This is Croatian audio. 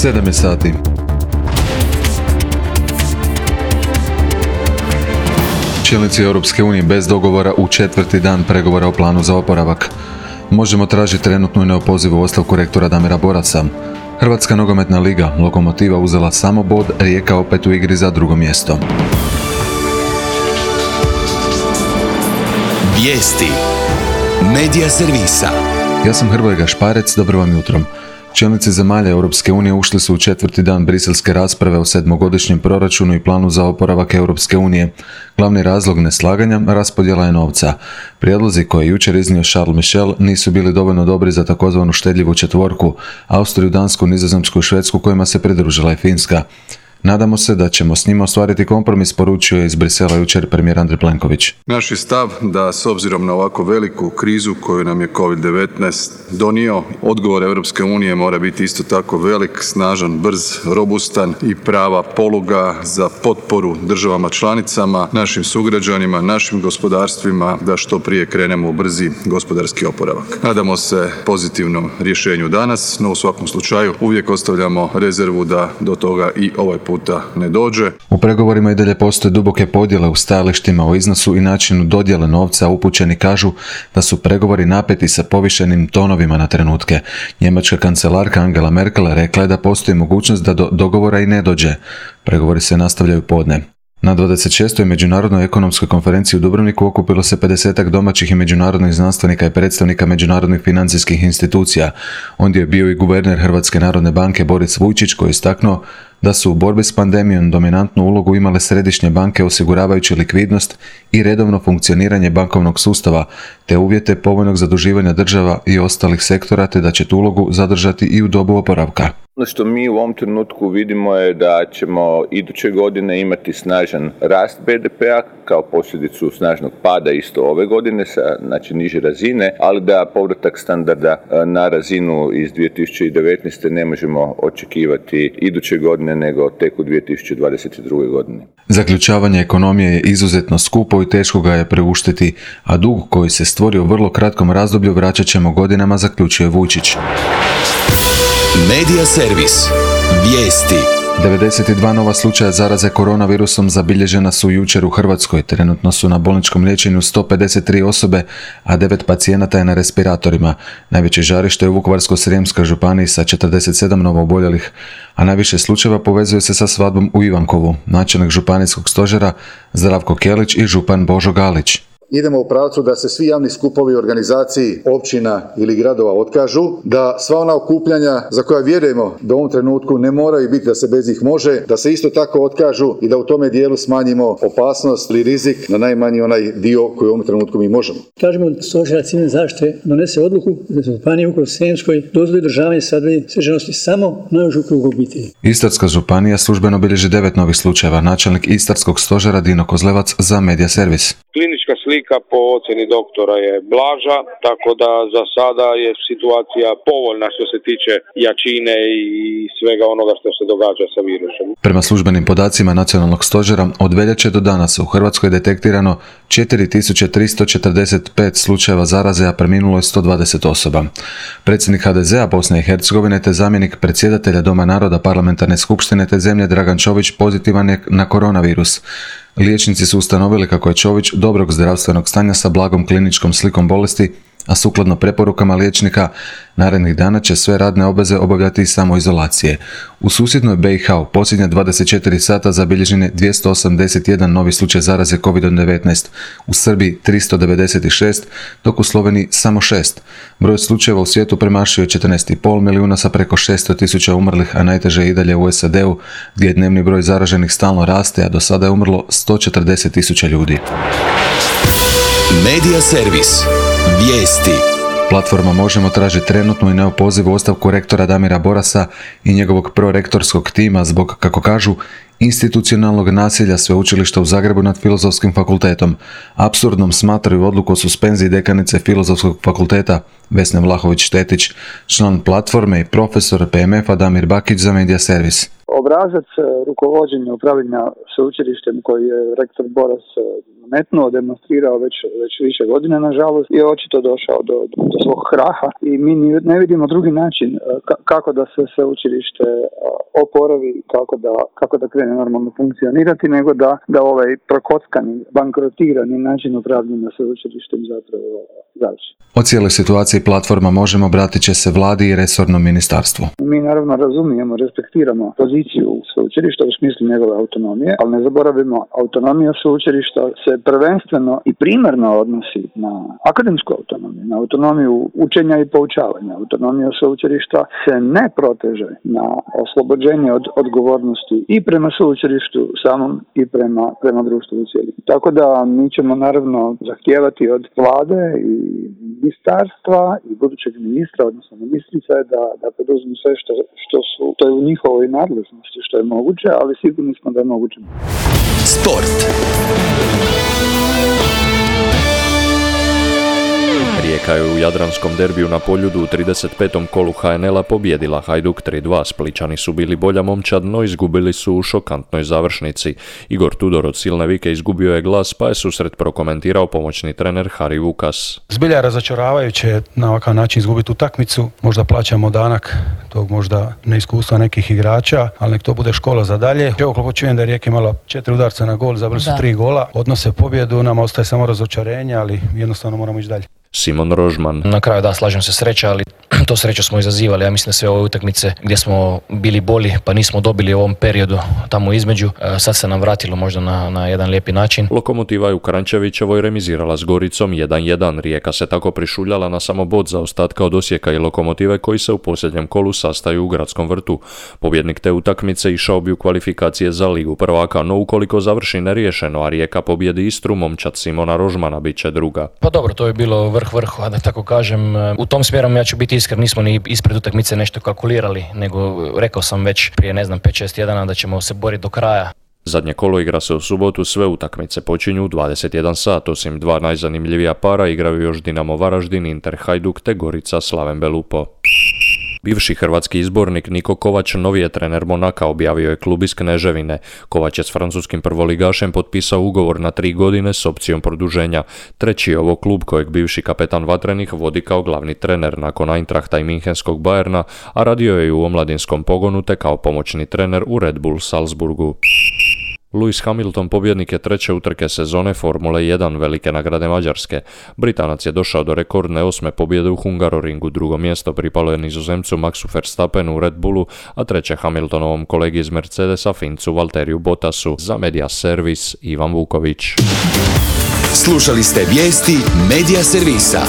7 je sati. Čelnici Europske unije bez dogovora u 4. dan pregovora o planu za oporavak. Možemo tražiti trenutnu i neopozivu ostavku rektora Damira Borasa. Hrvatska nogometna liga, Lokomotiva uzela samo bod, Rijeka opet u igri za drugo mjesto. Vijesti Medija servisa. Ja sam Hrvoje Gašparec, dobro vam jutro. Čelnici zemalja Europske unije ušli su u 4. dan briselske rasprave o 7-godišnjem proračunu i planu za oporavak Europske unije. Glavni razlog neslaganja raspodjela je novca. Prijedlozi koje je jučer iznio Charles Michel nisu bili dovoljno dobri za takozvanu štedljivu četvorku, Austriju, Dansku, Nizozemsku i Švedsku, kojima se pridružila i Finska. Nadamo se da ćemo s njima ostvariti kompromis, poručio je iz Brisela jučer premijer Andrej Plenković. Naš je stav da s obzirom na ovako veliku krizu koju nam je COVID-19 donio, odgovor Europske unije mora biti isto tako velik, snažan, brz, robustan i prava poluga za potporu državama članicama, našim sugrađanima, našim gospodarstvima da što prije krenemo u brzi gospodarski oporavak. Nadamo se pozitivnom rješenju danas, no u svakom slučaju uvijek ostavljamo rezervu da do toga i ovaj puta ne dođe. U pregovorima i dalje postoje duboke podjele u stajalištima o iznosu i načinu dodjele novca, upućeni kažu da su pregovori napeti sa povišenim tonovima na trenutke. Njemačka kancelarka Angela Merkel rekla je da postoji mogućnost da do dogovora i ne dođe. Pregovori se nastavljaju podne. Na 26. međunarodnoj ekonomskoj konferenciji u Dubrovniku okupilo se 50-ak domaćih i međunarodnih znanstvenika i predstavnika međunarodnih financijskih institucija. Ondje je bio i guverner Hrvatske narodne banke Boris Vujčić, koji je istaknuo da su u borbi s pandemijom dominantnu ulogu imale središnje banke osiguravajući likvidnost i redovno funkcioniranje bankovnog sustava, te uvjete povoljnog zaduživanja država i ostalih sektora, te da će tu ulogu zadržati i u dobu oporavka. Ono što mi u ovom trenutku vidimo je da ćemo iduće godine imati snažan rast BDP-a kao posljedicu snažnog pada isto ove godine sa niže razine, ali da povratak standarda na razinu iz 2019. ne možemo očekivati iduće godine nego tek u 2022. godini. Zaključavanje ekonomije je izuzetno skupo i teško ga je preuštiti, a dug koji se stvorio u vrlo kratkom razdoblju vraćat ćemo godinama, zaključuje Vujčić. Medija servis. Vijesti. 92 nova slučaja zaraze koronavirusom zabilježena su jučer u Hrvatskoj. Trenutno su na bolničkom liječenju 153 osobe, a 9 pacijenata je na respiratorima. Najveće žarište je u Vukovarsko-srijemskoj županiji sa 47 novooboljelih, a najviše slučajeva povezuje se sa svadbom u Ivankovu. Načelnik županijskog stožera Zdravko Kelić i župan Božo Galić. Idemo u pravcu da se svi javni skupovi organizaciji općina ili gradova otkažu, da sva ona okupljanja za koja vjerujemo da u ovom trenutku ne moraju biti, da se bez njih može, da se isto tako otkažu i da u tome dijelu smanjimo opasnost ili rizik na najmanji onaj dio koji u ovom trenutku mi možemo. Tražimo od stožera civilne zaštite donese odluku da se u županiji Vukovarsko-srijemskoj dozvoli državanje sadnje sveženosti samo najužu krugu obitelji. Istarska županija službeno bilježi 9 novih slučajeva. Načelnik Istarskog stožera Dino Kozlevac za Medija servis. Klinička slika po ocjeni doktora je blaža, tako da za sada je situacija povoljna što se tiče jačine i svega onoga što se događa sa virusom. Prema službenim podacima Nacionalnog stožera, od veljače do danas u Hrvatskoj je detektirano 4345 slučajeva zaraze, a preminulo je 120 osoba. Predsjednik HDZ-a Bosne i Hercegovine te zamjenik predsjedatelja Doma naroda Parlamentarne skupštine te zemlje Dragan Čović pozitivan je na koronavirus. Liječnici su ustanovili kako je Čović dobrog zdravstvenog stanja sa blagom kliničkom slikom bolesti, a sukladno preporukama liječnika, narednih dana će sve radne obveze obavljati iz samoizolacije. U susjednoj BiH u posljednje 24 sata zabilježen je 281 novi slučaj zaraze COVID-19, u Srbiji 396, dok u Sloveniji samo 6. Broj slučajeva u svijetu premašio je 14,5 milijuna sa preko 600.000 umrlih, a najteže je i dalje u SAD-u, gdje je dnevni broj zaraženih stalno raste, a do sada je umrlo 140.000 ljudi. Medija servis. Vijesti. Platforma Možemo traži trenutnu i neopozivu ostavku rektora Damira Borasa i njegovog prorektorskog tima zbog, kako kažu, institucionalnog nasilja Sveučilišta u Zagrebu nad Filozofskim fakultetom. Apsurdnom smatraju odluku o suspenziji dekanice Filozofskog fakulteta Vesne Vlahović-Štetić, član platforme i profesor PMF-a Damir Bakić za Medija servis. Obrazac rukovođenja upravljanja sveučilištem koji je rektor Boras nametnuo, demonstrirao već više godina, nažalost, i očito došao do svog kraha i mi ne vidimo drugi način kako da se sveučilište oporavi, kako da krene normalno funkcionirati, nego da ovaj prokockani, bankrotirani način upravljanja sveučilištem zapravo završi. O cijeloj situaciji platforma Možemo obratit će se vladi i resornom ministarstvu. Mi naravno razumijemo, respektiramo poziciju sveučilišta u smislu njegove autonomije, ali ne zaboravimo, autonomija sveučilišta se prvenstveno i primarno odnosi na akademsku autonomiju, na autonomiju učenja i poučavanja. Autonomija sveučilišta se ne proteže na oslobođenje od odgovornosti i prema sveučilištu samom i prema društvu u cijelini. Tako da mi ćemo naravno zahtijevati od vlade i ministarstva i budućeg ministra, odnosno ministrice, da poduzmu sve što je u njihovoj nadležnosti, što je moguće, ali sigurni smo da je moguće. Sport. Rijeka je u jadranskom derbiju na Poljudu u 35. kolu HNL-a pobijedila Hajduk 3-2. Splićani su bili bolja momčad, no izgubili su u šokantnoj završnici. Igor Tudor od silne vike izgubio je glas, pa je susret prokomentirao pomoćni trener Hari Vukas. Zbilja je razočaravajuće na ovakav način izgubiti utakmicu. Možda plaćamo danak tog možda neiskustva nekih igrača, ali nek to bude škola za dalje. Evo koliko čujem da je Rijeka imala 4 udarca na gol, zabili su 3 gola. Odnose pobjedu, nama ostaje samo razočarenje, ali jednostavno moramo ići dalje. Simon Rožman. Na kraju da, slažem se, sreća, ali to sreću smo izazivali. Ja mislim da sve ove utakmice gdje smo bili bolji pa nismo dobili u ovom periodu tamo između, sad se nam vratilo možda na jedan lijepi način. Lokomotiva je u Kranjčevićevoj remizirala s Goricom 1-1. Rijeka se tako prišuljala na samo bod zaostatka od Osijeka i Lokomotive koji se u posljednjem kolu sastaju u Gradskom vrtu. Pobjednik te utakmice išao bi u kvalifikacije za Ligu prvaka, no ukoliko završi neriješeno, a Rijeka pobjedi Istru, momčad Simona Rožmana bit će druga. Pa dobro, to je bilo vrhu, a da tako kažem. U tom smjeru ja ću biti iskren, nismo ni ispred utakmice nešto kalkulirali, nego rekao sam već prije 5-6 tjedana da ćemo se boriti do kraja. Zadnje kolo igra se u subotu, sve utakmice počinju u 21 sat, osim 2 najzanimljivija para igraju još Dinamo Varaždin, Inter Hajduk te Gorica Slaven Belupo. Bivši hrvatski izbornik Niko Kovač novi je trener Monaka, objavio je klub iz Kneževine. Kovač je s francuskim prvoligašem potpisao ugovor na 3 godine s opcijom produženja. Treći je ovo klub kojeg bivši kapetan Vatrenih vodi kao glavni trener nakon Eintrachta i Münchenskog Bayerna, a radio je i u omladinskom pogonu te kao pomoćni trener u Red Bull Salzburgu. Lewis Hamilton pobjednik je 3. utrke sezone Formule 1 velike nagrade Mađarske. Britanac je došao do rekordne 8. pobjede u Hungaroringu, drugo mjesto pripalo je Nizozemcu Maxu Verstappenu u Red Bullu, a treće Hamiltonovom kolegi iz Mercedesa Fincu Valteriju Bottasu. Za Media Servis Ivan Vuković. Slušali ste vijesti Media Servisa.